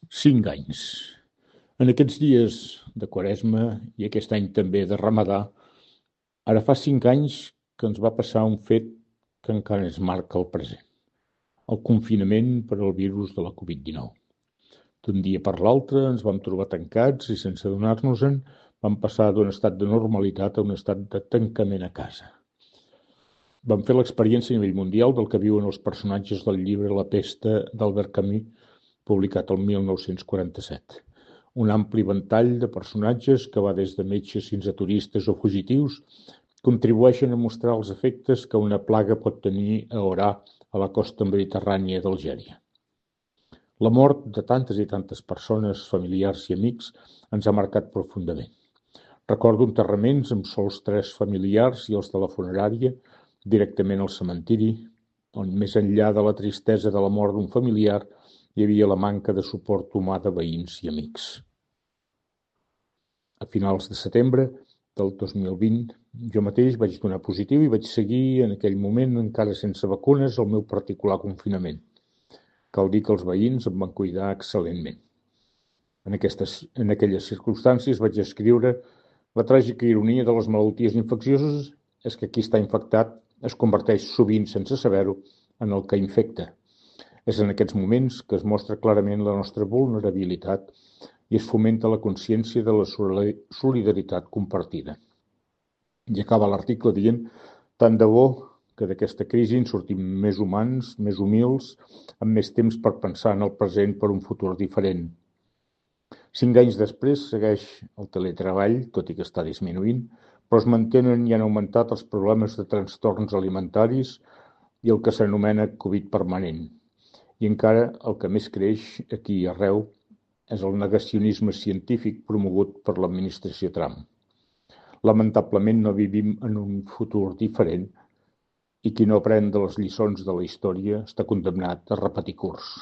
5 anys. En aquests dies de Quaresma i aquest any també de Ramadà, ara fa 5 anys que ens va passar un fet que encara ens marca el present: el confinament per al virus de la Covid-19. D'un dia per l'altre ens vam trobar tancats i, sense adonar-nos-en, vam passar d'un estat de normalitat a un estat de tancament a casa. Vam fer l'experiència a nivell mundial del que viuen els personatges del llibre La pesta d'Albert Camus, publicat el 1947. Un ampli ventall de personatges que va des de metges fins a turistes o fugitius contribueixen a mostrar els efectes que una plaga pot tenir a Orà, a la costa mediterrània d'Algèria. La mort de tantes i tantes persones, familiars i amics, ens ha marcat profundament. Recordo enterraments amb sols 3 familiars i els de la funerària directament al cementiri, on més enllà de la tristesa de la mort d'un familiar hi havia la manca de suport humà de veïns i amics. A finals de setembre del 2020, jo mateix vaig donar positiu i vaig seguir en aquell moment, encara sense vacunes, el meu particular confinament. Cal dir que els veïns em van cuidar excel·lentment. En aquelles circumstàncies vaig escriure: la tràgica ironia de les malalties infeccioses és que qui està infectat es converteix sovint, sense saber-ho, en el que infecta. És en aquests moments que es mostra clarament la nostra vulnerabilitat i es fomenta la consciència de la solidaritat compartida. I acaba l'article dient: tant de bo que d'aquesta crisi en sortim més humans, més humils, amb més temps per pensar en el present per un futur diferent. 5 anys després segueix el teletreball, tot i que està disminuint, però es mantenen i han augmentat els problemes de trastorns alimentaris i el que s'anomena Covid permanent. I encara el que més creix aquí i arreu és el negacionisme científic promogut per l'administració Trump. Lamentablement no vivim en un futur diferent i qui no aprèn de les lliçons de la història està condemnat a repetir curs.